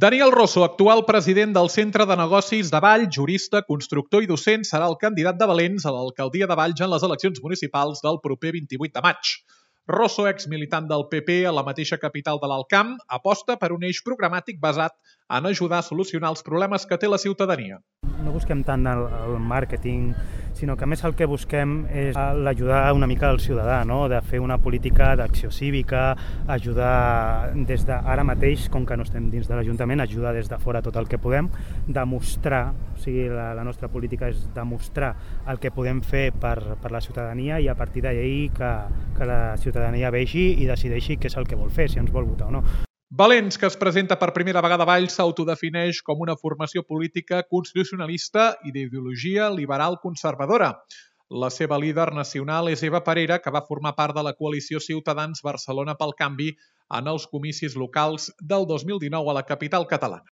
Daniel Rosso, actual president del Centre de Negocis de Valls, jurista, constructor i docent, serà el candidat de Valens a l'alcaldia de Valls en les eleccions municipals del proper 28 de maig. Rosso, exmilitant del PP a la mateixa capital de l'Alt Camp, aposta per un eix programàtic basat en ajudar a solucionar els problemes que té la ciutadania. No busquem tant el màrqueting, sinó que més el que busquem és l'ajudar una mica al ciutadà, no? De fer una política d'acció cívica, ajudar des d'ara mateix, com que no estem dins de l'Ajuntament, ajudar des de fora tot el que podem, demostrar, o sigui, la nostra política és demostrar el que podem fer per la ciutadania i a partir d'ahir que la ciutadania vegi i decideixi què és el que vol fer, si ens vol votar o no. Valens, que es presenta per primera vegada a Valls, s'autodefineix com una formació política constitucionalista i d'ideologia liberal conservadora. La seva líder nacional és Eva Parera, que va formar part de la coalició Ciutadans Barcelona pel Canvi en els comicis locals del 2019 a la capital catalana.